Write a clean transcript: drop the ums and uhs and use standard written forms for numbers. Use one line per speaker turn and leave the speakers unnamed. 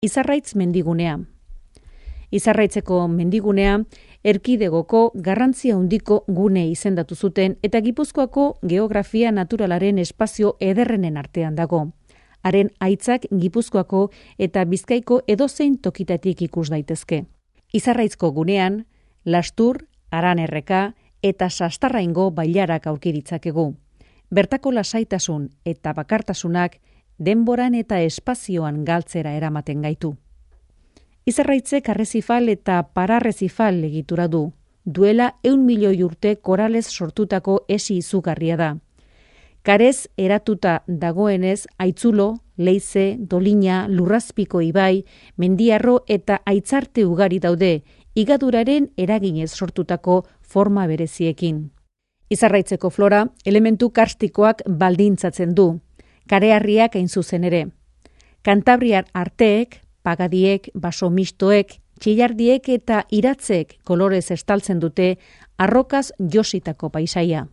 Izarraitz mendigunea. Izarraitzeko mendigunea erkidegoko garrantzia handiko gune izendatu zuten eta Gipuzkoako geografia naturalaren espazio ederrenen artean dago. Haren aitzak Gipuzkoako eta Bizkaiko edozein tokitatik ikus daitezke. Izarraitzko gunean, Lastur, Aranerreka eta Sastarraingo bailarak aurki ditzakegu. Bertako lasaitasun eta bakartasunak denboran eta espazioan galtzera eramaten gaitu. Izarraitzek arrezifal eta pararrezifal egitura du. Duela 100 milioi urte koralez sortutako esi izugarria da. Karez eratuta dagoenez Aitzulo, Leize, Dolina, Lurrazpiko ibai, Mendiarro eta Aitzarte ugari daude, higaduraren eraginez sortutako forma bereziekin. Izarraitzeko flora elementu karstikoak baldintzatzen du. Kareharriak hain zuzen ere. Kantabriar arteek, pagadiek, basomistoek, txillardiek eta iratzek kolorez estaltzen dute arrokaz jositako paisaia.